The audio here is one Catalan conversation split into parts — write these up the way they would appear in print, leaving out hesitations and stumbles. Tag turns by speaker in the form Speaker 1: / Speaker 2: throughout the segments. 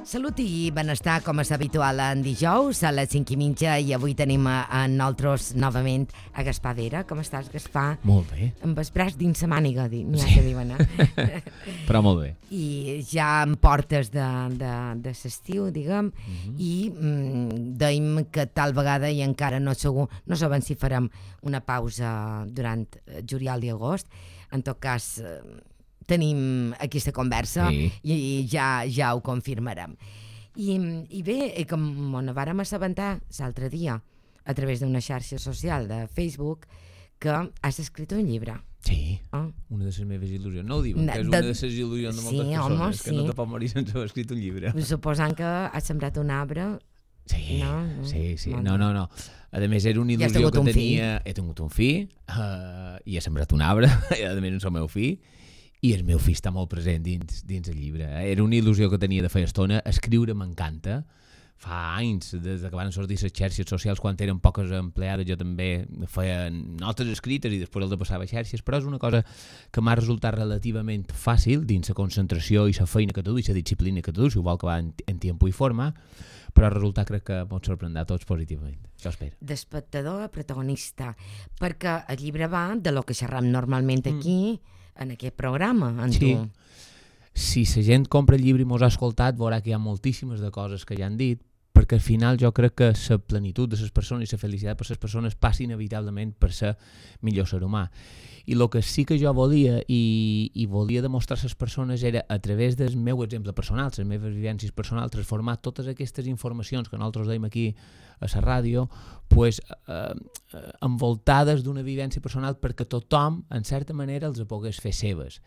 Speaker 1: Salut i benestar, com és habitual en dijous, a les 5:30, i avui tenim a nosaltres novament a Gaspar Vera. Com estàs, Gaspar?
Speaker 2: Molt bé.
Speaker 1: Amb els braç dins la màniga, n'hi ha que diuen,
Speaker 2: Però molt bé.
Speaker 1: I ja en portes de l'estiu, diguem, i dèiem que tal vegada, i encara no segur, no sabem si farem una pausa durant juliol i agost. En tot cas, tenim aquesta conversa,
Speaker 2: Sí.
Speaker 1: i ja ho confirmarem. I bé, com ens vàrem assabentar l'altre dia a través d'una xarxa social de Facebook que has escrit un llibre.
Speaker 2: Sí,
Speaker 1: Oh.
Speaker 2: una de les meves il·lusions. No ho diuen, que és una de les il·lusions de moltes
Speaker 1: Sí,
Speaker 2: persones,
Speaker 1: home,
Speaker 2: que no te pot morir sense haver escrit un llibre.
Speaker 1: Suposant que has sembrat un arbre.
Speaker 2: Sí,
Speaker 1: No,
Speaker 2: sí.
Speaker 1: no.
Speaker 2: No. A més, era una
Speaker 1: I has
Speaker 2: il·lusió
Speaker 1: tingut
Speaker 2: que
Speaker 1: un
Speaker 2: tenia... He tingut un fill, i he sembrat un arbre, i a més és el meu fill, i el meu fill està molt present dins el llibre. Era una il·lusió que tenia de feia estona. Escriure m'encanta. Fa anys, des que van sortir les xarxes socials, quan eren poques empleades, jo també feia notes escrites i després el de passava a xarxes, però és una cosa que m'ha resultat relativament fàcil dins la concentració i la feina que tu duis, la disciplina que tu duis, igual que va en temps i forma, però el resultat crec que pot sorprendre a tots positivament. Això espero.
Speaker 1: D'espectador a protagonista, perquè el llibre va de lo que xerram normalment aquí, en aquest programa, en
Speaker 2: Sí.
Speaker 1: tu.
Speaker 2: Si la gent compra el llibre i mos ha escoltat, veurà que hi ha moltíssimes de coses que ja han dit, perquè al final jo crec que la plenitud de les persones i la felicitat per les persones passa inevitablement per ser millor ser humà. I el que sí que jo volia i volia demostrar a les persones era, a través del meu exemple personal, les meves vivències personals, transformar totes aquestes informacions que nosaltres deim aquí a la ràdio, pues, envoltades d'una vivència personal perquè tothom, en certa manera, els pogués fer seves.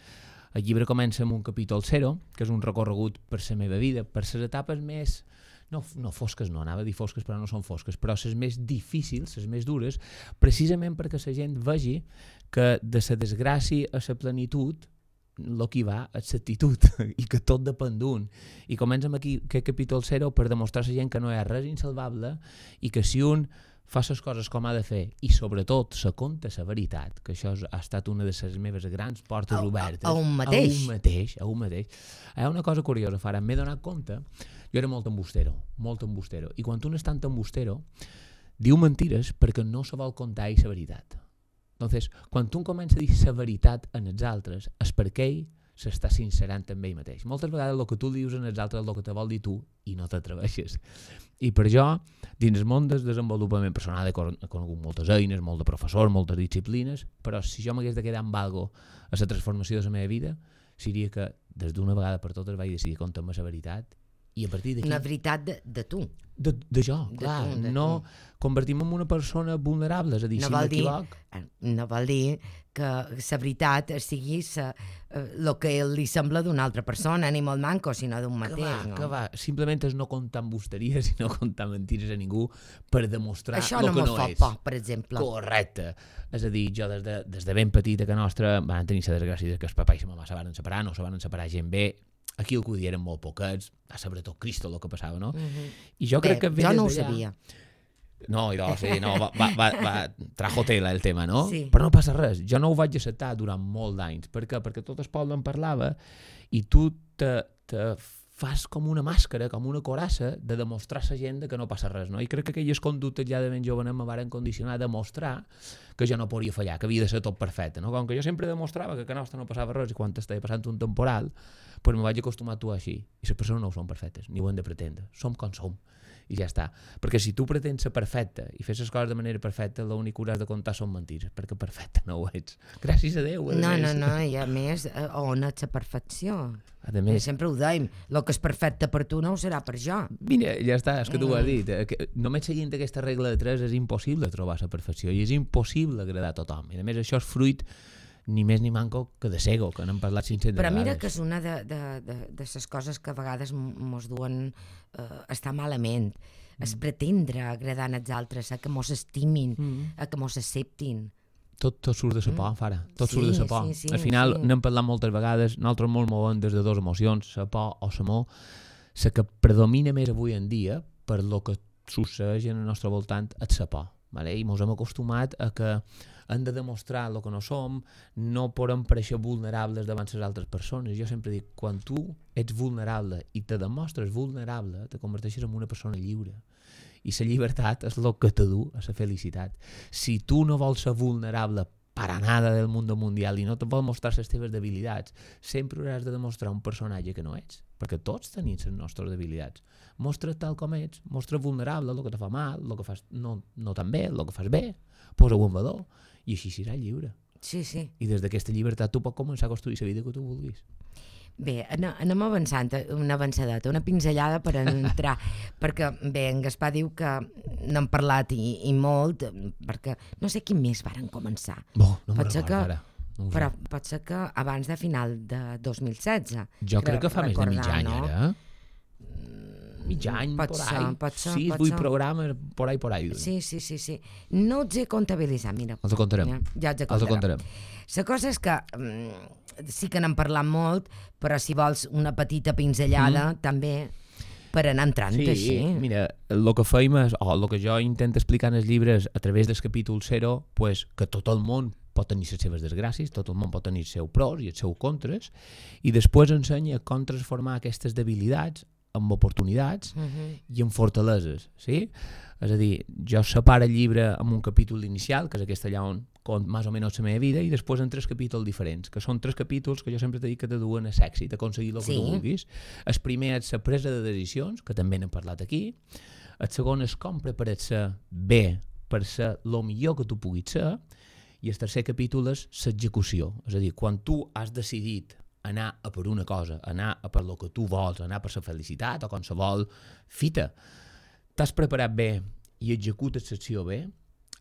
Speaker 2: El llibre comença amb un capítol 0, que és un recorregut per la meva vida, per les etapes més... No fosques, no, anava a dir fosques, però no són fosques, però les més difícils, les més dures, precisament perquè la gent vegi que de la desgràcia a la plenitud el que va és l'actitud i que tot depèn d'un. I comença amb aquí aquest capítol 0 per demostrar a la gent que no hi ha res insalvable i que si un fa les coses com ha de fer i sobretot se conta la veritat, que això ha estat una de les meves grans portes obertes.
Speaker 1: A un mateix.
Speaker 2: A un mateix. Hi ha una cosa curiosa, Farah, m'he donat compte, jo era molt embustero, i quan un és tan embustero, diu mentires perquè no se vol contar ell la veritat. Entonces, quan un comença a dir la veritat en els altres, és perquè ell s'està sincerant amb ell mateix. Moltes vegades el que tu dius en els altres és el que te vol dir tu i no t'atreveixes. I per jo, dins el món del desenvolupament personal he conegut moltes eines, molt de professors, moltes disciplines, però si jo m'hagués de quedar amb algo a la transformació de la meva vida, seria que des d'una vegada per totes vaig decidir contar-me la veritat i a partir d'aquí...
Speaker 1: Una veritat de tu.
Speaker 2: De jo, clar, no convertim-me en una persona vulnerable, és a dir, si m'equivoc...
Speaker 1: No vol dir que la veritat sigui el que li sembla d'una altra persona, ni molt manco, sinó d'un mateix.
Speaker 2: Que va, simplement és no contar embusteries i no contar mentires a ningú per demostrar el que no és.
Speaker 1: Això no me fa por, per exemple.
Speaker 2: Correcte. És a dir, jo des de ben petita que nostra van tenir la desgràcia que el papà i la mamà se van separar, no se van separar gent bé. Aquí el que ho eren molt poquets, sobretot Cristo el que passava, no? I jo crec que
Speaker 1: jo no ho sabia.
Speaker 2: No, sí, no, trajo tela el tema, no?
Speaker 1: Sí.
Speaker 2: Però no passa res, jo no ho vaig acceptar durant molt d'anys. Per què? Perquè tot el poble en parlava i tu te fas com una màscara, com una coraça de demostrar a la gent que no passa res, no? I crec que aquelles conductes ja de ben jovenet me varen condicionar a demostrar que jo no podia fallar, que havia de ser tot perfecte, no? Com que jo sempre demostrava que a nostra no passava res i quan estava passant un temporal, pues me vaig acostumar a actuar així. I les persones no ho són perfectes, ni ho hem de pretendre. Som com som. I ja està. Perquè si tu pretens ser perfecte i fes les coses de manera perfecta, l'únic que hauràs de contar són mentires, perquè perfecte no ho ets. Gràcies a Déu.
Speaker 1: No, i a més, on és la perfecció?
Speaker 2: A més,
Speaker 1: sempre ho dèiem, el que és perfecte per tu no ho serà per jo.
Speaker 2: Mira, ja està, és que tu ho has dit. Només seguint aquesta regla de 3 és impossible trobar la perfecció i és impossible agradar a tothom. I a més això és fruit ni més ni manco que de cego, que n'hem parlat 500
Speaker 1: Però mira
Speaker 2: vegades.
Speaker 1: que és una de les coses que a vegades mos duen estar malament. És pretendre agradar als altres, a que mos estimin, a que mos acceptin.
Speaker 2: Tot surt de la por, Fara. Tot surt de la por.
Speaker 1: Sí,
Speaker 2: Al final
Speaker 1: sí.
Speaker 2: n'hem parlat moltes vegades, nosaltres molt movem des de dues emocions, la por o l'amor. La que predomina més avui en dia, per lo que succeeix en el nostre voltant, és la por. Vale? I ens hem acostumat a que hem de demostrar el que no som, no podem pareixer vulnerables davant les altres persones. Jo sempre dic, quan tu ets vulnerable i te demostres vulnerable, te converteixes en una persona lliure. I la llibertat és el que te du a la felicitat. Si tu no vols ser vulnerable para nada del mundo mundial i no te vols mostrar les teves debilitats, sempre hauràs de demostrar un personatge que no ets, perquè tots tenim les nostres debilitats. Mostra tal com ets, mostra vulnerable, el que te fa mal, el que fas no tan bé, el que fas bé, posa-ho en valor, i així seràs lliure.
Speaker 1: Sí, sí.
Speaker 2: I des d'aquesta llibertat tu pots començar a construir la vida que tu vulguis.
Speaker 1: Bé, anem avançant, una avançadeta, una pinzellada per entrar, perquè bé, en Gaspar diu que n'hem parlat i molt, perquè no sé quin mes varen començar.
Speaker 2: No me'n recordo ara.
Speaker 1: Però pot ser que abans de final de 2016.
Speaker 2: Jo crec que fa més de mig any, ara. Mig any,
Speaker 1: pot ser.
Speaker 2: 6, 8 programes, por ahí.
Speaker 1: Sí. No els he comptabilitzat, mira.
Speaker 2: Els contarem.
Speaker 1: Ja els contarem. La cosa és que sí que n'hem parlat molt, però si vols una petita pinzellada també per anar entrant així.
Speaker 2: Mira, el que fèiem és, el que jo intento explicar en els llibres a través del capítol 0, pues, que tot el món pot tenir les seves desgràcies, tot el món pot tenir els seus pros i els seus contres, i després ensenya com transformar aquestes debilitats en oportunitats i en fortaleses, sí? És a dir, jo separo el llibre amb un capítol inicial, que és aquest allà on cont més o menys la meva vida, i després en 3 capítols diferents, que són 3 capítols que jo sempre t'he dit que te duen a l'èxit, a aconseguir el que tu vulguis. El primer és la presa de decisions, que també n'hem parlat aquí. El segon és com preparar-se bé per ser el millor que tu puguis ser. I el tercer capítol és l'execució. És a dir, quan tu has decidit anar a per una cosa, anar a per el que tu vols, anar per la felicitat o qualsevol fita, t'has preparat bé i executes l'acció bé,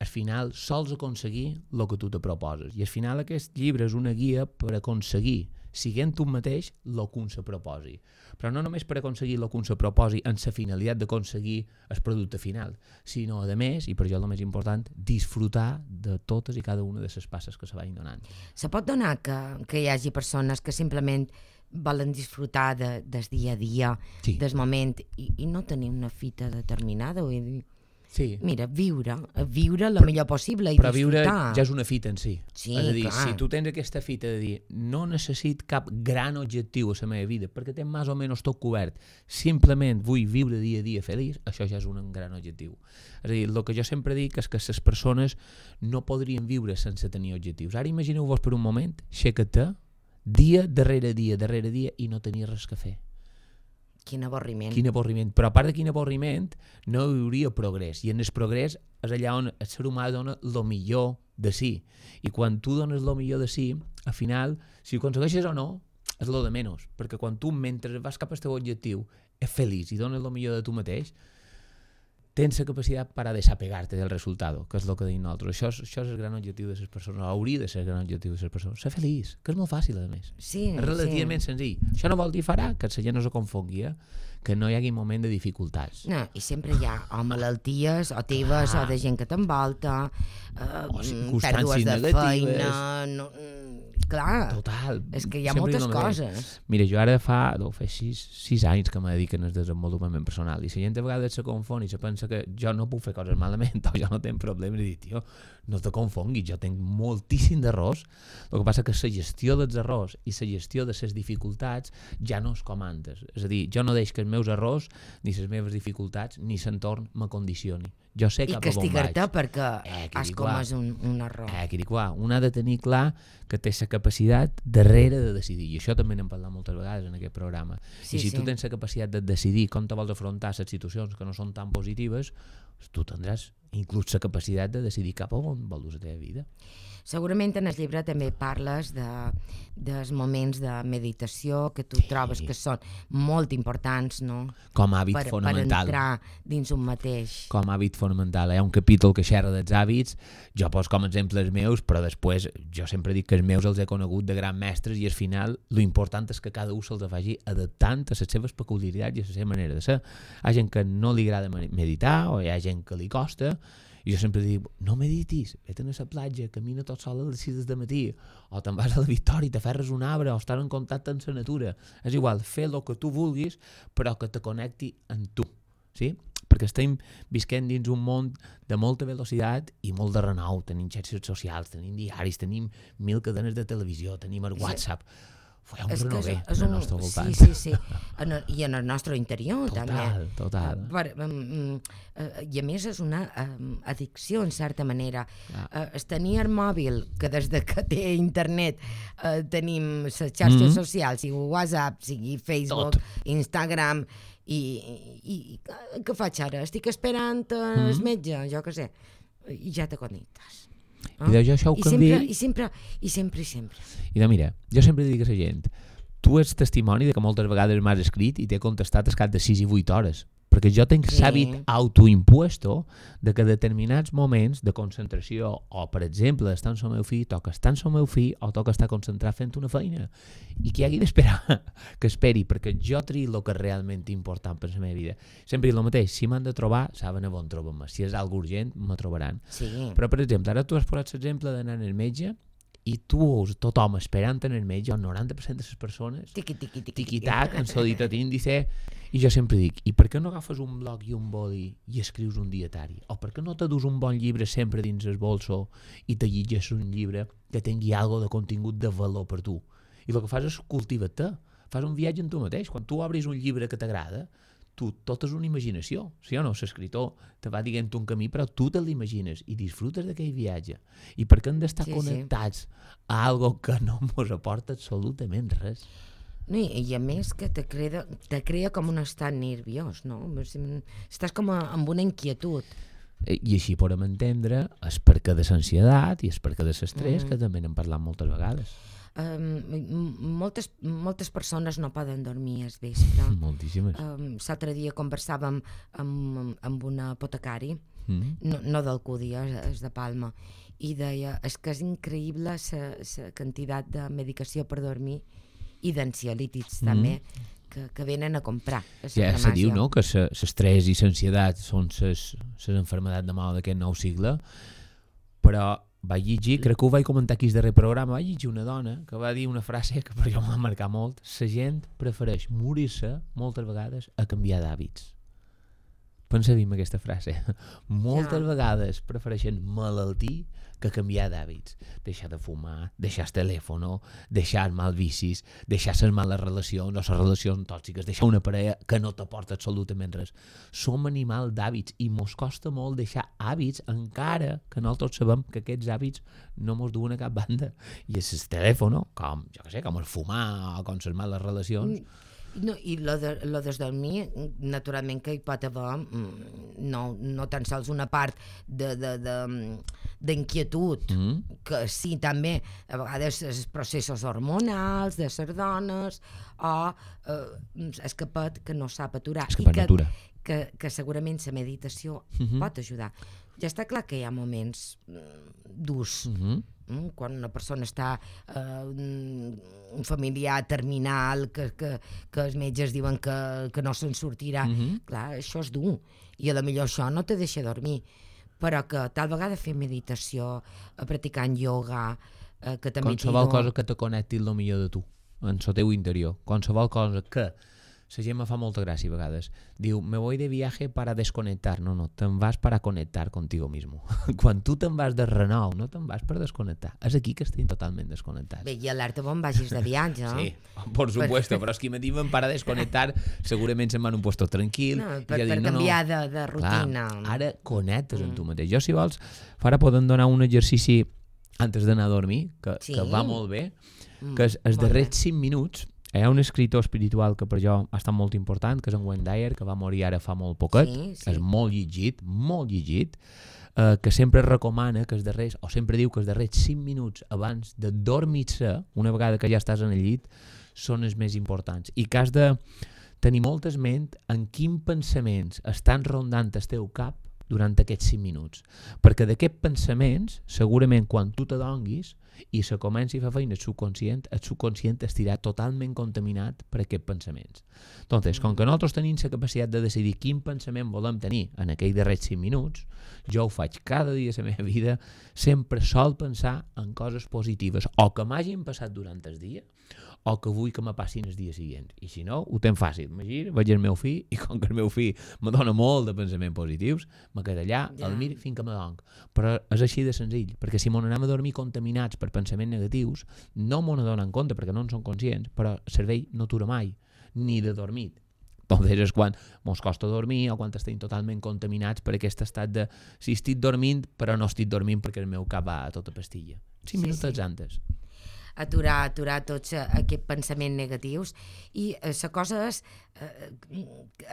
Speaker 2: al final sols aconseguir el que tu te proposes. I al final aquest llibre és una guia per aconseguir, siguent tu mateix, el que un se proposi. Però no només per aconseguir el que un se proposi en la finalitat d'aconseguir el producte final, sinó, a més, i per jo el més important, disfrutar de totes i cada una de les passes que se vagin donant.
Speaker 1: Se pot donar que hi hagi persones que simplement volen disfrutar del dia a dia, del moment, i no tenir una fita determinada, vull dir...
Speaker 2: Sí.
Speaker 1: Mira, viure el millor possible i
Speaker 2: però
Speaker 1: disfrutar.
Speaker 2: Però viure ja és una fita en si.
Speaker 1: Sí,
Speaker 2: és a dir,
Speaker 1: clar.
Speaker 2: si tu tens aquesta fita de dir no necessit cap gran objectiu a la meva vida perquè tenc més o menys tot cobert, simplement vull viure dia a dia feliç, això ja és un gran objectiu. És a dir, el que jo sempre dic és que les persones no podrien viure sense tenir objectius. Ara imagineu-vos per un moment, aixeca-te dia darrere dia i no tenir res que fer.
Speaker 1: Quin avorriment.
Speaker 2: Però a part de quin avorriment, no hi hauria progrés. I en el progrés és allà on el ser humà dona el millor de si. I quan tu dones el millor de si, al final, si ho aconsegueixes o no, és el de menys. Perquè quan tu, mentre vas cap al teu objectiu, ets feliç i dones el millor de tu mateix, tens la capacitat per a desapegar-te del resultat, que és el que dic nosaltres. Això és el gran objectiu de les persones, hauria de ser el gran objectiu de les persones. Ser feliç, que és molt fàcil, a més.
Speaker 1: Sí,
Speaker 2: és relativament senzill. Això no vol dir farà que la gent no se confongui, que no hi hagi moment de dificultats.
Speaker 1: No, i sempre hi ha o malalties, o teves, o de gent que t'envolta, pèrdues de feina... Clar,
Speaker 2: total.
Speaker 1: És que hi ha moltes coses.
Speaker 2: Mira, jo ara fa 6 anys que me dediquen al desenvolupament personal i la gent a vegades se confon i se pensa que jo no puc fer coses malament o jo no tinc problemes i dic, tio, no te confonguis, jo tinc moltíssim d'errors. El que passa que la gestió dels errors i la gestió de les dificultats ja no és com antes. És a dir, jo no deixo que els meus errors, ni les meves dificultats, ni l'entorn m'acondicioni. Jo sé cap a on vaig. I
Speaker 1: castigar-te perquè has comès un error.
Speaker 2: Un ha de tenir clar que té la capacitat darrere de decidir. I això també n'hem parlat moltes vegades en aquest programa. I si tu tens la capacitat de decidir com te vols afrontar les situacions que no són tan positives, tu tindràs inclús la capacitat de decidir cap a on vols la teva vida.
Speaker 1: Segurament en el llibre també parles dels moments de meditació que tu trobes que són molt importants, no?
Speaker 2: Com a hàbit fonamental.
Speaker 1: Per entrar dins un mateix.
Speaker 2: Com a hàbit fonamental. Hi ha un capítol que xerra dels hàbits, jo poso com a exemple els meus, però després jo sempre dic que els meus els he conegut de grans mestres i al final lo important és que cada un se'ls vagi adaptant a les seves peculiaritats i a la seva manera de ser. Hi ha gent que no li agrada meditar o hi ha gent que li costa. I jo sempre dic, no meditis, vete a la platja, camina tot sol a les 6 del matí, o te'n vas a la Victòria i t'aferres un arbre, o estar en contacte amb la natura. És igual, fer el que tu vulguis, però que te connecti amb tu. Sí? perquè estem visquent dins un món de molta velocitat i molt de renou. Tenim xarxes socials, tenim diaris, tenim 1000 cadenes de televisió, tenim el WhatsApp. Hi ha un renover en el nostre voltant.
Speaker 1: Sí. I en el nostre interior, també.
Speaker 2: Total.
Speaker 1: I a més és una addicció, en certa manera. Es tenir el mòbil, que des que té internet tenim les xarxes socials, sigui WhatsApp, sigui Facebook, Instagram, i què faig ara? Estic esperant el metge, jo què sé, i ja te connectes.
Speaker 2: I de jo això ho canvi...
Speaker 1: I sempre.
Speaker 2: I de mira, jo sempre dic a la gent, tu ets testimoni de que moltes vegades m'has escrit i t'he contestat al cap de 6 i 8 hores, perquè jo tinc l'hàbit autoimpuesto de que determinats moments de concentració, o per exemple estar amb el meu fill, toca estar amb el meu fill o toca estar concentrat fent una feina, i que hagi d'esperar que esperi, perquè jo trio el que és realment important per la meva vida. Sempre dic el mateix, si m'han de trobar saben on trobar-me, si és algo urgent me trobaran. Però per exemple, ara tu has posat l'exemple d'anar al metge i tu veus tothom esperant en el metge, el 90% de les persones tiqui-tac, en solitat índice, i jo sempre dic, i per què no agafes un bloc i un boli i escrius un dietari? O per què no te dus un bon llibre sempre dins el bolso i te llegeixes un llibre que tingui alguna de contingut de valor per tu? I el que fas és cultivar-te, fas un viatge en tu mateix. Quan tu obris un llibre que t'agrada, tu tot és una imaginació, sí o no? L'escriptor te va dient un camí, però tu te l'imagines i disfrutes d'aquell viatge. I per què hem d'estar connectats a algo que no ens aporta absolutament res?
Speaker 1: I a més que te crea com un estat nerviós, no? Estàs com amb una inquietud.
Speaker 2: I així podem entendre el perquè de l'ansietat i el perquè de l'estrès, que també n'hem parlat moltes vegades.
Speaker 1: Moltes persones no poden dormir al vespre.
Speaker 2: Moltíssimes.
Speaker 1: L'altre dia conversàvem amb un apotecari, no d'Alcúdia, és de Palma, i deia, és que és increïble la quantitat de medicació per dormir i d'ansiolítics també que venen a comprar.
Speaker 2: Ja se diu, no?, que l'estrès i l'ansietat són les enfermedats de mal d'aquest nou segle, però vaig llegir, crec que ho vaig comentar aquí al darrer programa, vaig llegir una dona que va dir una frase que per jo m'ha marcat molt: la gent prefereix morir-se moltes vegades a canviar d'hàbits. Pensa-hi en aquesta frase. Moltes vegades prefereixen malaltir que canviar d'hàbits. Deixar de fumar, deixar el telèfon, deixar els mals vicis, deixar les males relacions o les relacions tòxiques, deixar una parella que no t'aporta absolutament res. Som animals d'hàbits i mos costa molt deixar hàbits, encara que nosaltres sabem que aquests hàbits no mos duen a cap banda. I és el telèfon, com, jo què sé, com el fumar o com les males relacions.
Speaker 1: No, i lo de dormir, naturalment que hi pot haver no tan sols una part d'inquietud, que sí, també a vegades els processos hormonals de les dones, o escapat que no sap aturar, i que segurament la meditació pot ajudar. Ja està clar que hi ha moments durs, quan una persona està un familiar terminal, que els metges diuen que no se'n sortirà. Clar, això és dur, i potser això no te deixa dormir, però que tal vegada fer meditació, practicant ioga, que també...
Speaker 2: Qualsevol cosa que te connecti el millor de tu, en el teu interior. Qualsevol cosa que... La gent me fa molta gràcia a vegades. Diu, me voy de viaje para desconectar. No, te'n vas para conectar contigo mismo. Quan tu te'n vas de renou, no te'n vas per desconnectar. És aquí que estem totalment desconnectats.
Speaker 1: Bé, i alerta on vagis de viatge.
Speaker 2: Sí, por supuesto, però és que me diuen para desconectar, segurament se'n van un puesto tranquil.
Speaker 1: No, per canviar de rutina.
Speaker 2: Clar, ara connectes amb tu mateix. Jo, si vols, ara podem donar un exercici antes d'anar a dormir, que va molt bé, que els darrers 5 minuts. Hi ha un escriptor espiritual que per jo ha estat molt important, que és en Wayne Dyer, que va morir ara fa molt poquet, és molt llegit, que sempre recomana que sempre diu que els darrers 5 minuts abans de dormir-se, una vegada que ja estàs en el llit, són els més importants, i que has de tenir moltes ment en quins pensaments estan rondant el teu cap durant aquests 5 minuts, perquè d'aquests pensaments, segurament quan tu t'adonguis i se comenci a fer feina el subconscient estirà totalment contaminat per aquests pensaments. Entonces, com que nosaltres tenim la capacitat de decidir quin pensament volem tenir en aquells darrers 5 minuts, jo ho faig cada dia de la meva vida, sempre sol pensar en coses positives, o que m'hagin passat durant el dia, o que vull que me passin els dies següents. I si no, ho tenc fàcil. Me giro, veig el meu fill, i com que el meu fill me dona molt de pensaments positius, me quedo allà, el mir fins que me donc. Però és així de senzill, perquè si m'on anem a dormir contaminats per pensaments negatius, no m'on adonen compte, perquè no en són conscients, però el cervell no atura mai, ni de dormit. Entonces és quan mos costa dormir o quan estem totalment contaminats per aquest estat de si estic dormint però no estic dormint perquè el meu cap va a tota pastilla. 5 minutets antes.
Speaker 1: Aturar tots aquests pensaments negatius i la cosa és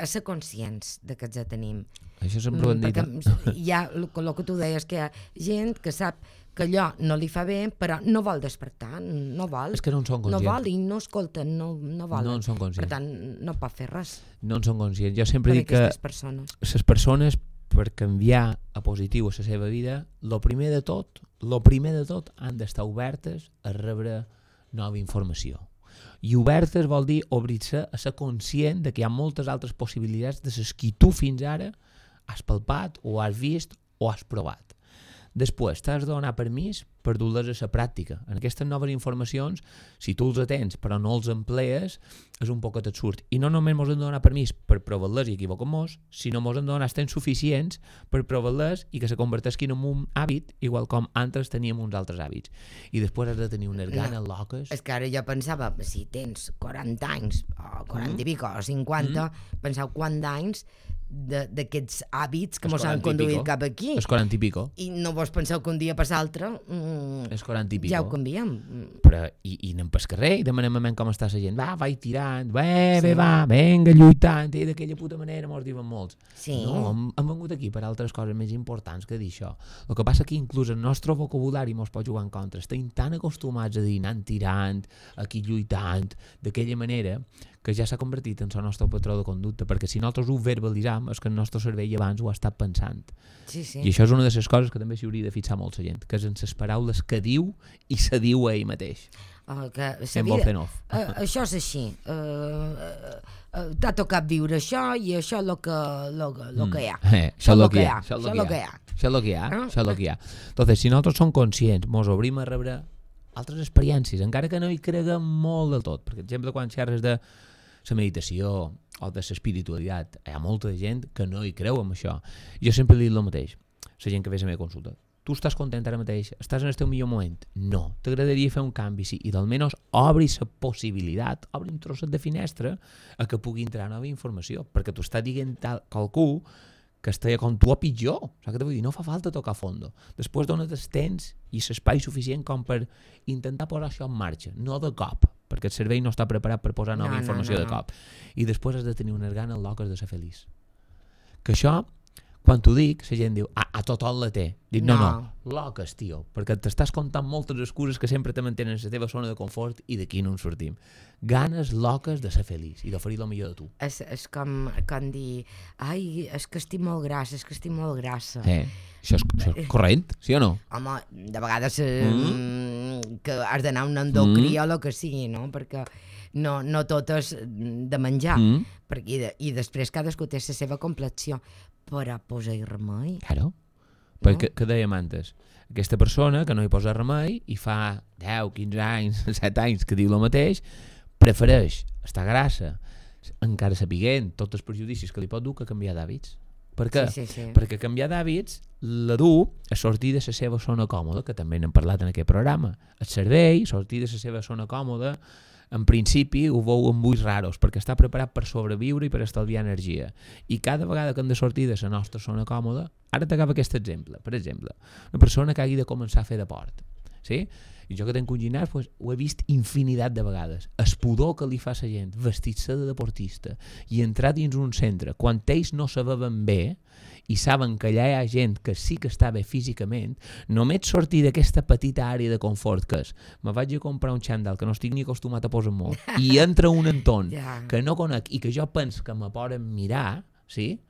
Speaker 1: ser conscients de que els tenim.
Speaker 2: Això sempre ho hem dit.
Speaker 1: Perquè hi ha el que tu deies, que hi ha gent que sap que allò no li fa bé, però no vol despertar, no vol.
Speaker 2: És que no en són conscients.
Speaker 1: No vol i no escolten, no volen.
Speaker 2: No en són conscients.
Speaker 1: Per tant, no pot fer res.
Speaker 2: No en són conscients. Jo sempre dic que les persones, per canviar a positiu a la seva vida, lo primer de tot, han d'estar obertes a rebre nova informació. I obertes vol dir obrir-se a ser conscient de que hi ha moltes altres possibilitats de les que tu fins ara has palpat o has vist o has provat. Després t'has de donar permís per dur-les a la pràctica. En aquestes noves informacions, si tu els tens però no els emplees, és un poquet absurd. I no només ens hem de donar permís per provar-les i equivocar-nos, sinó ens hem de donar temps suficients per provar-les i que se converteixin en un hàbit, igual com antes teníem uns altres hàbits. I després has de tenir unes ganes loques.
Speaker 1: És que ara jo pensava, si tens 40 anys, o 40 i pico, o 50, pensava quant d'anys d'aquests hàbits que ens han conduït cap aquí.
Speaker 2: És 40 i pico.
Speaker 1: I no vos penseu que un dia per l'altre
Speaker 2: és 40 i pico.
Speaker 1: Ja ho canviem.
Speaker 2: Però, i anem pel carrer i demanem a com està la gent. Va, vaig tirant, venga, lluitant, i d'aquella puta manera mos diuen molts.
Speaker 1: Sí.
Speaker 2: No, hem vengut aquí per altres coses més importants que dir això. El que passa que inclús el nostre vocabulari mos pot jugar en contra. Estem tan acostumats a dir anant tirant, aquí lluitant, d'aquella manera, que ja s'ha convertit en el nostre patró de conducta, perquè si nosaltres ho verbalitzam és que el nostre cervell abans ho ha estat pensant.
Speaker 1: Sí.
Speaker 2: I això és una de les coses que també s'hi hauria de fixar molt la gent, que és en les paraules que diu i se diu a ell mateix.
Speaker 1: Això és així. T'ha tocat viure això i això és el que hi ha.
Speaker 2: Això és el que hi ha. Això és el que hi ha. Entonces, si nosaltres som conscients, mos obrim a rebre altres experiències, encara que no hi creguem molt del tot. Per exemple, quan xerres de la meditació o de l'espiritualitat, hi ha molta gent que no hi creu en això. Jo sempre dic el mateix, la gent que ve a la meva consulta. Tu estàs content ara mateix? Estàs en el teu millor moment? No. T'agradaria fer un canvi? Sí. I d'almenys obri la possibilitat, obri un trosset de finestra a que pugui entrar nova informació, perquè tu estàs dient qualcú que estigui com tu o pitjor. Saps què t'ho vull dir? No fa falta tocar a fondo. Després dona't el temps i l'espai suficient com per intentar posar això en marxa, no de cop, perquè el cervell no està preparat per posar nova informació de cop. I després has de tenir unes ganes loques de ser feliç. Que això, quan t'ho dic, la gent diu, a tothom la té. Dic, no, loques, tio, perquè t'estàs contant moltes excuses que sempre te mantenen en la teva zona de confort i d'aquí no en sortim. Ganes loques de ser feliç i d'oferir el millor de tu.
Speaker 1: És com dir, ai, és que estic molt grassa,
Speaker 2: Això és corrent, sí o no?
Speaker 1: Home, de vegades que has d'anar a un endocrí o el que sigui, no? Perquè no tot és de menjar. I després cadascú té la seva complexió, però posa-hi remei.
Speaker 2: Claro. Perquè, què dèiem antes? Aquesta persona que no hi posa remei i fa 10, 15 anys, 7 anys que diu el mateix, prefereix estar grassa, encara sapiguent tots els perjudicis que li pot dur, que canviar d'hàbits. Per què?
Speaker 1: Sí.
Speaker 2: Perquè canviar d'hàbits la du a sortir de la seva zona còmoda, que també n'hem parlat en aquest programa. El cervell, sortir de la seva zona còmoda, en principi ho veu amb ulls raros, perquè està preparat per sobreviure i per estalviar energia. I cada vegada que hem de sortir de la nostra zona còmoda, ara t'acaba aquest exemple. Per exemple, una persona que hagi de començar a fer deport. Sí? I jo que tenc un gimnàs, pues, ho he vist infinitat de vegades. El pudor que li fa a la gent vestir-se de deportista i entrar dins un centre quan ells no se veuen bé i saben que allà hi ha gent que sí que està bé físicament, només sortir d'aquesta petita àrea de confort que és, me vaig a comprar un xandall que no estic ni acostumat a posar molt i entra un entorn que no conec i que jo penso que me poden mirar, sí?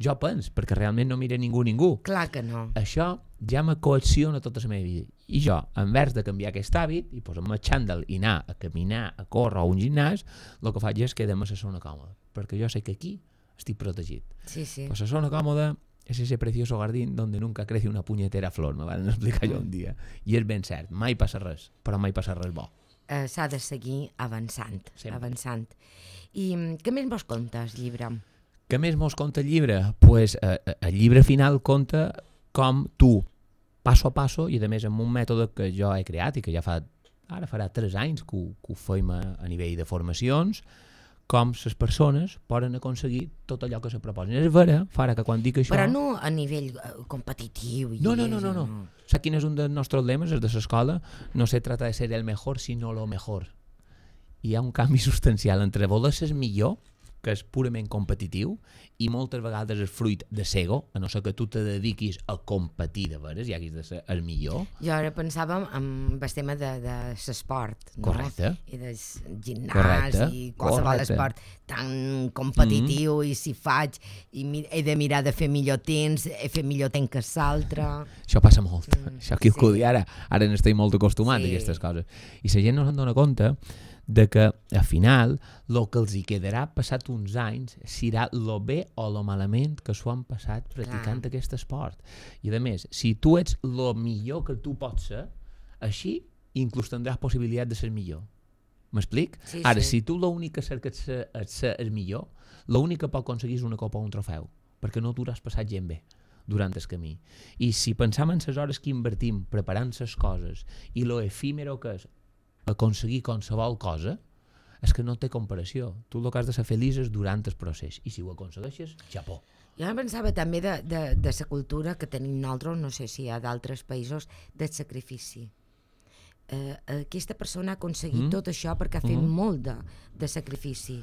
Speaker 2: Jo penso, perquè realment no mira ningú.
Speaker 1: Clar que no.
Speaker 2: Això ja me coacciona tota la meva vida. I jo, en vez de canviar aquest hàbit i posar-me el xandall i anar a caminar, a córrer a un gimnàs, el que faig és quedar-me a la zona còmoda, perquè jo sé que aquí estic protegit.
Speaker 1: Sí.
Speaker 2: Pues la zona còmoda és ese precioso jardín donde nunca crece una punyetera flor, me van explicar jo un dia. I és ben cert, mai passa res, però mai passa res bo.
Speaker 1: s'ha de seguir avançant. I què més vos conta el llibre?
Speaker 2: Què més mos conta el llibre? Pues, el llibre final conta com tu, passo a passo, i a més amb un mètode que jo he creat i que ja ara farà 3 anys que ho feim a nivell de formacions, com les persones poden aconseguir tot allò que se proposen. És vera, Fara, que quan dic això...
Speaker 1: Però no a nivell competitiu.
Speaker 2: No. Saps quin és un dels nostres lemes, els de l'escola? No se trata de ser el mejor, sino lo mejor. Hi ha un canvi substancial entre voler ser millor, que és purament competitiu, i moltes vegades és fruit de s'ego, a no ser que tu te dediquis a competir de veres i hagis de ser el millor.
Speaker 1: Jo ara pensava en el tema de l'esport, no?
Speaker 2: Correcte.
Speaker 1: I del gimnàs i qualsevol esport tan competitiu, i si faig i he de mirar de fer millor temps, fer millor temps que l'altre.
Speaker 2: Això passa molt. Això aquí ara n'estem molt acostumats a aquestes coses. I la gent no se'n dona compte de que, al final, el que els hi quedarà passat uns anys serà lo bé o lo malament que s'ho han passat practicant aquest esport. I, a més, si tu ets lo millor que tu pots ser, així inclús tindràs possibilitat de ser millor. M'explic? Ara, si tu l'únic que cerques és ser el millor, l'únic que pot aconseguir és una copa o un trofeu, perquè no t'ho hauràs passat gent bé durant el camí. I si pensam en les hores que invertim preparant les coses i lo efímero que és aconseguir qualsevol cosa, és que no té comparació. Tu el que has de ser feliç és durant el procés, i si ho aconsegueixes, xapó.
Speaker 1: Jo pensava també de la cultura que tenim nosaltres, no sé si hi ha d'altres països, del sacrifici. Aquesta persona ha aconseguit tot això perquè ha fet molt de sacrifici.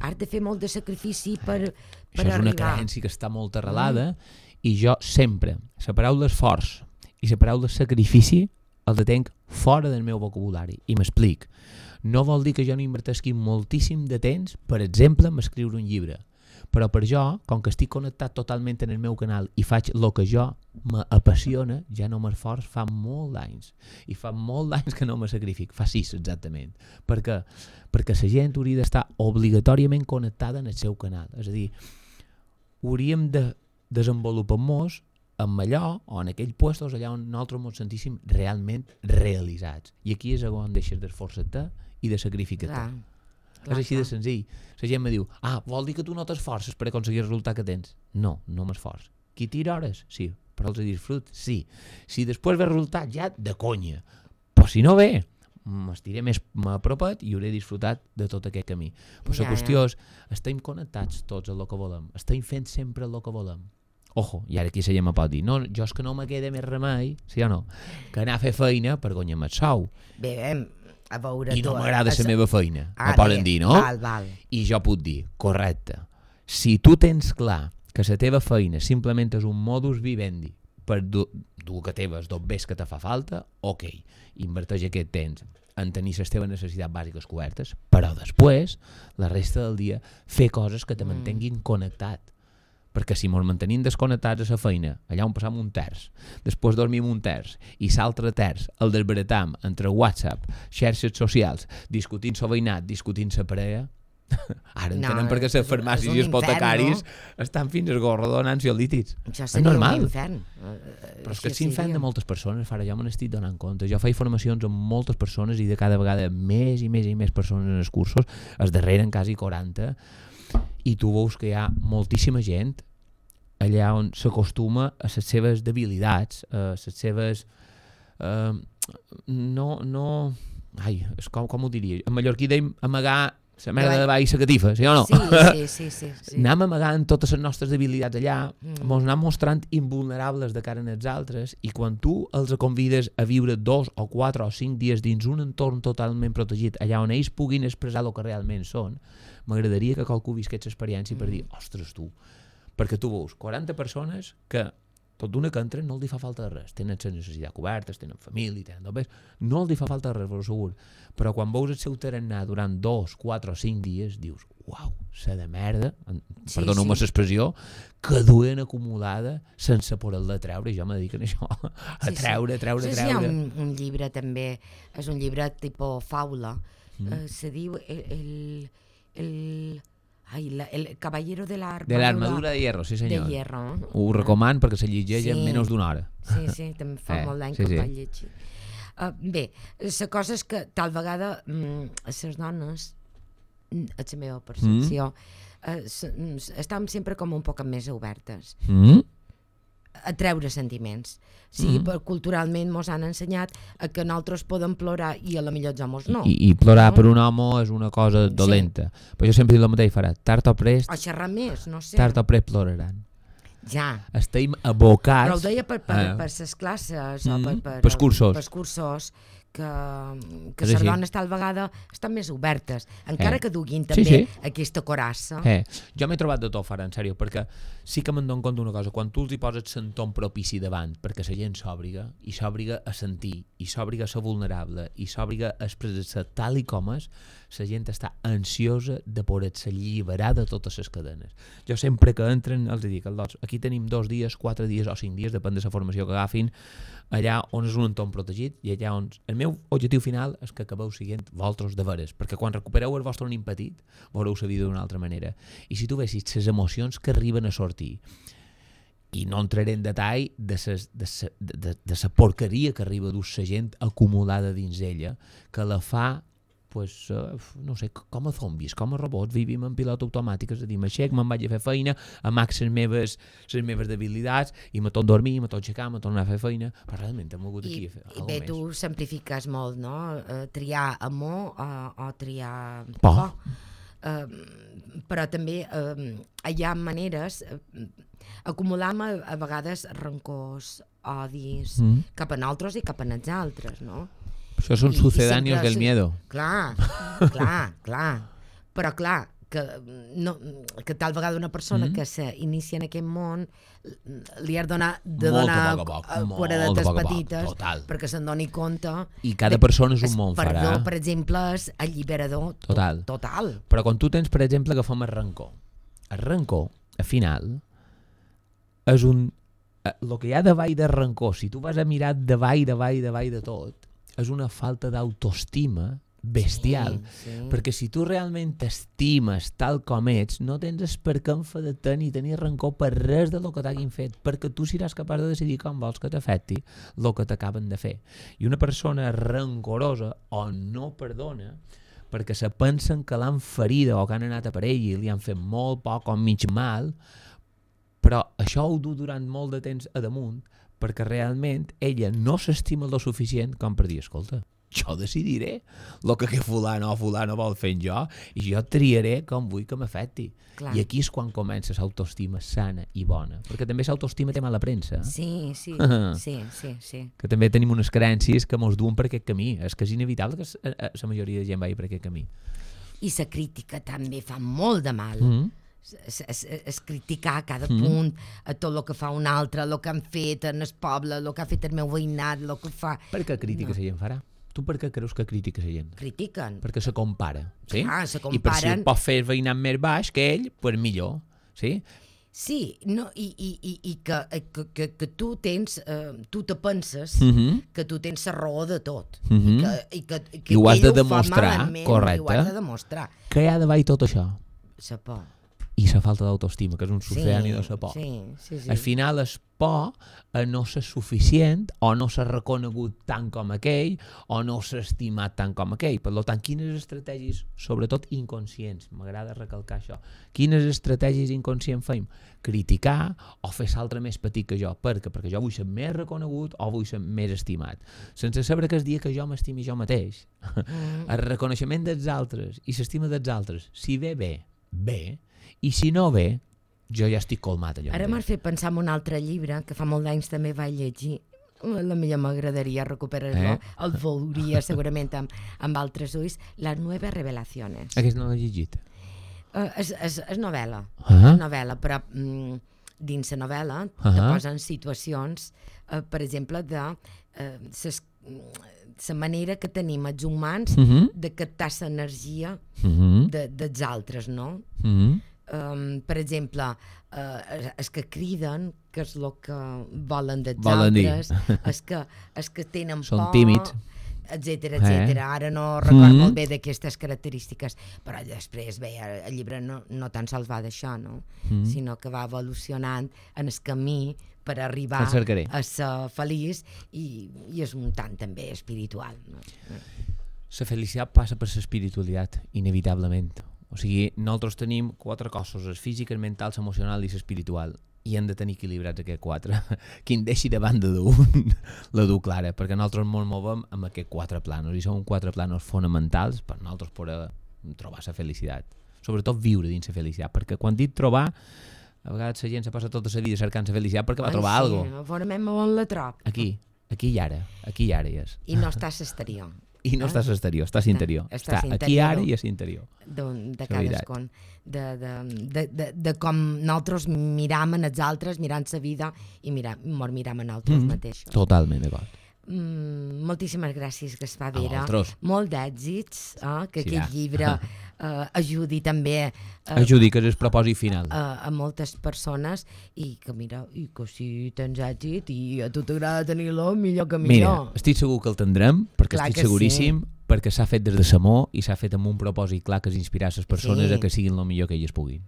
Speaker 1: Has de fer molt de sacrifici per
Speaker 2: això és una creença que està molt arrelada, i jo sempre, la paraula esforç i la paraula sacrifici el tenc fora del meu vocabulari. I m'explic. No vol dir que jo no inverteixi moltíssim de temps, per exemple, en escriure un llibre. Però per jo, com que estic connectat totalment en el meu canal i faig el que jo m'apassiona, ja no m'esforç fa molt d'anys. I fa molt d'anys que no me sacrific. Fa 6, exactament. Per què? Perquè la gent hauria d'estar obligatòriament connectada en el seu canal. És a dir, hauríem de desenvolupar-nos en allò o en aquells puestos allà on nosaltres ens sentíssim realment realitzats. I aquí és on deixes d'esforçar-te i de sacrificar-te. És així de senzill. La gent me diu, vol dir que tu no t'esforces per aconseguir el resultat que tens? No m'esforç. Qui tira hores? Sí. Però els disfrut? Sí. Si després ve el resultat, ja de conya. Però si no ve, m'estiré més apropet i hauré disfrutat de tot aquest camí. Però la qüestió és, estem connectats tots a el que volem. Estem fent sempre el que volem. Ojo, i ara aquí la gent me pot dir, no, jo és que no me queda més remei, sí o no, que anar a fer feina per guanyar-me el sou.
Speaker 1: Bé, a veure...
Speaker 2: I no m'agrada la meva feina, me poden dir, no?
Speaker 1: Val.
Speaker 2: I jo puc dir, correcte, si tu tens clar que la teva feina simplement és un modus vivendi per dur que teves dos bés que te fa falta, ok, inverteix aquest temps en tenir les teves necessitats bàsiques cobertes, però després, la resta del dia, fer coses que te mantenguin connectat. Perquè si ens mantenim desconnectats a la feina, allà on passam un terç, després dormim un terç, i l'altre terç el desbaratam entre WhatsApp, xarxes socials, discutint el veïnat, discutint la parella, ara entenem perquè les farmàcies i els hipotecaris estan fins al gorro donant ansiolítics.
Speaker 1: Això seria un infern.
Speaker 2: Però és que és infern de moltes persones, Fara, jo me n'estic donant compte. Jo faig formacions amb moltes persones i de cada vegada més i més i més persones en els cursos, es darreren quasi 40, i tu veus que hi ha moltíssima gent allà on s'acostuma a les seves debilitats, a les seves... és com ho diria? En mallorquí dèiem amagar la merda de baix i la catifa, sí o no?
Speaker 1: Sí.
Speaker 2: Anem amagant totes les nostres debilitats allà, ens anem mostrant invulnerables de cara als altres, i quan tu els convides a viure 2 o 4 o 5 dies dins un entorn totalment protegit, allà on ells puguin expressar el que realment són, m'agradaria que qualcú visqués l'experiència per dir, ostres tu, perquè tu veus 40 persones que tot d'una que entren no els fa falta de res, tenen les necessitats cobertes, tenen família, tenen tot bé, no els fa falta de res, però segur, però quan veus el seu tarannà durant 2, 4 o 5 dies dius, uau, se de merda, perdoneu-me l'expressió, que duen acumulada sense poder-la treure, i jo me dedico a això, a treure.
Speaker 1: Sí, hi ha un llibre també, és un llibre tipus faula, se diu el caballero de
Speaker 2: l'armadura de hierro, sí senyor.
Speaker 1: De hierro.
Speaker 2: Ho recomano perquè se llegeix en menys d'una hora.
Speaker 1: Sí, també fa molt d'any que ho vaig llegir. Bé, la cosa és que tal vegada a les dones, a la meva percepció, estem sempre com un poc més obertes a treure sentiments. Culturalment mos han ensenyat que nosaltres podem plorar i a la millor els homes no.
Speaker 2: I plorar per un home és una cosa dolenta. Però jo sempre dic el mateix, farà tard o prest,
Speaker 1: o xerrar més, no sé.
Speaker 2: tard o prest ploraran.
Speaker 1: Ja.
Speaker 2: Estem abocats...
Speaker 1: Però ho deia per les classes o
Speaker 2: pels cursos.
Speaker 1: Pels cursos que les dones tal vegada estan més obertes, encara que duguin també aquesta corassa.
Speaker 2: Jo m'he trobat de tot, Farà, en sèrio, perquè sí que me'n dono compte una cosa, quan tu els hi poses l'entorn propici davant, perquè la gent s'òbriga, i s'òbriga a sentir, i s'òbriga a ser vulnerable, i s'òbriga a expressar-se tal i com és, la gent està ansiosa de poder-se alliberar de totes les cadenes. Jo sempre que entren els dic, aquí tenim 2 dies, 4 dies o 5 dies, depèn de la formació que agafin, allà on és un entorn protegit i allà on... El meu objectiu final és que acabeu sent vosaltres de veres, perquè quan recupereu el vostre nin petit, veureu la vida d'una altra manera. I si tu vessis les emocions que arriben a sortir, i no entraré en detall de la porqueria que arriba d'una gent acumulada dins ella, que la fa, pues, no sé, com a zombis, com a robots, vivim en pilot automàtic, és a dir, m'aixec, me'n vaig a fer feina, amac les meves debilitats, i me torno a dormir, me torno a aixecar, me torno a fer feina, però realment hem hagut aquí a fer alguna
Speaker 1: més. I bé, tu simplifiques molt, no? Triar amor o triar por. Però també hi ha maneres, acumulam a vegades rancors, odis, cap a nosaltres i cap a els altres, no?
Speaker 2: Això són sucedáneos del miedo.
Speaker 1: Clar. Però clar, que tal vegada una persona que s'inicia en aquest món li ha de donar quadradetes petites perquè se'n doni compte.
Speaker 2: I cada persona és un món, Farà.
Speaker 1: Perdó, per exemple, és alliberador total.
Speaker 2: Però quan tu tens, per exemple, agafem el rancor. El rancor, al final, és un... El que hi ha davall del rancor, si tu vas a mirar davall de tot, és una falta d'autoestima bestial, perquè si tu realment t'estimes tal com ets, no tens per què enfadar-te ni tenir rancor per res del que t'hagin fet, perquè tu seràs capaç de decidir com vols que t'afecti el que t'acaben de fer. I una persona rancorosa o no perdona perquè se pensen que l'han ferida o que han anat a per ell i li han fet molt poc o mig mal, però això ho du durant molt de temps a damunt perquè realment ella no s'estima lo suficient com per dir, escolta, jo decidiré el que fulano o fulano vol fer jo i jo triaré com vull que m'afecti. I aquí és quan comença l'autoestima sana i bona, perquè també l'autoestima té mala premsa.
Speaker 1: Sí.
Speaker 2: Que també tenim unes creences que mos duen per aquest camí. És que és inevitable que la majoria de gent vagi per aquest camí.
Speaker 1: I la crítica també fa molt de mal. Es criticar a cada punt a tot el que fa un altre, el que han fet en el poble, el que ha fet el meu veïnat, el que fa...
Speaker 2: Per què crítica la gent, Farà? Tu per què creus que critica la gent?
Speaker 1: Critiquen.
Speaker 2: Perquè se compara, sí?
Speaker 1: Se comparen.
Speaker 2: I per si pot fer el veïnat més baix que ell, pues millor, sí?
Speaker 1: Sí, no, i que tu tens, tu te penses que tu tens la raó de tot. I que
Speaker 2: ho has de
Speaker 1: ell
Speaker 2: demostrar,
Speaker 1: ho fa malament,
Speaker 2: correcte.
Speaker 1: I ho has de demostrar.
Speaker 2: Què hi ha davall tot això?
Speaker 1: La por.
Speaker 2: I la falta d'autoestima, que és un sucedani de la por.
Speaker 1: Sí.
Speaker 2: Al final és por a no ser suficient o no ser reconegut tant com aquell o no ser estimat tant com aquell. Per tant, quines estratègies, sobretot inconscients, m'agrada recalcar això, quines estratègies inconscients fem? Criticar o fer l'altre més petit que jo. Per què? Perquè jo vull ser més reconegut o vull ser més estimat. Sense saber que el dia que jo m'estimi jo mateix, el reconeixement dels altres i l'estima dels altres, si ve bé, i si no ve, jo ja estic colmat allò.
Speaker 1: Ara m'has fet pensar en un altre llibre que fa molt d'anys també vaig llegir. A la millor m'agradaria recuperar-lo. El veuria segurament amb altres ulls. Les nueve revelaciones.
Speaker 2: Aquest no l'he llegit.
Speaker 1: És novel·la. És novel·la, però dins la novel·la te posen situacions, per exemple, de la manera que tenim els humans de captar l'energia dels altres, no? Per exemple, els que criden, que és el que volen dels altres, els que tenen por,
Speaker 2: són tímids,
Speaker 1: etcètera. Ara no recordo molt bé d'aquestes característiques, però després bé, el llibre no tan sols va d'això, no? Sinó que va evolucionant en el camí per arribar
Speaker 2: El cercaré.
Speaker 1: a ser feliç i és un tant també espiritual. No?
Speaker 2: La felicitat passa per l'espiritualitat, inevitablement. O sigui, nosaltres tenim 4 cossos, el físic, el mental, l'emocional i l'espiritual, i hem de tenir equilibrats aquests 4. Qui en deixi de banda d'un, la du clara, perquè nosaltres ens movem amb aquests 4 planos, i són 4 planos fonamentals per nosaltres poder trobar la felicitat. Sobretot viure dins la felicitat, perquè quan dic trobar, a vegades la gent se passa tota la vida cercant la felicitat perquè va trobar alguna cosa.
Speaker 1: Sí, veurem on la trob.
Speaker 2: Aquí i ara hi és.
Speaker 1: I no està a l'exterior.
Speaker 2: I no estàs a l'exterior, estàs a l'interior. Està aquí ara i a l'interior.
Speaker 1: De cadascun. De com nosaltres miram en els altres, mirant la vida i miram en nosaltres mateixos.
Speaker 2: Totalment d'acord.
Speaker 1: Moltíssimes gràcies, Gaspar Vera. Molt d'èxits, que aquest llibre ajudi també
Speaker 2: ajudi, que és el propòsit final
Speaker 1: a moltes persones i que si tens èxit i a tu t'agrada tenir-lo, millor que millor.
Speaker 2: Mira, estic segur que el tindrem, perquè clar estic seguríssim, perquè s'ha fet des de l'amor i s'ha fet amb un propòsit clar que és inspirar les persones a que siguin el millor que elles puguin.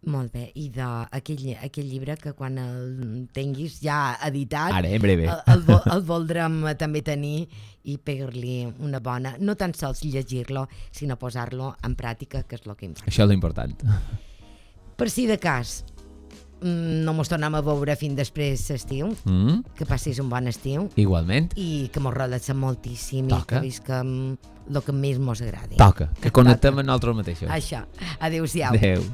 Speaker 1: Molt bé, i d'aquell llibre que quan el tinguis ja editat
Speaker 2: ara, en breve,
Speaker 1: el voldrem també tenir i pegar-li una bona, no tan sols llegir-lo, sinó posar-lo en pràctica, que és el que importa.
Speaker 2: Això és l'important.
Speaker 1: Per si de cas no mos tornem a veure fins després l'estiu, que passis un bon estiu.
Speaker 2: Igualment.
Speaker 1: I que mos relaxem moltíssim.
Speaker 2: Toca.
Speaker 1: I que visquem el que més mos agradi.
Speaker 2: Toca, que connectem amb nosaltres mateixos.
Speaker 1: Això, adéu-siau.
Speaker 2: Adéu.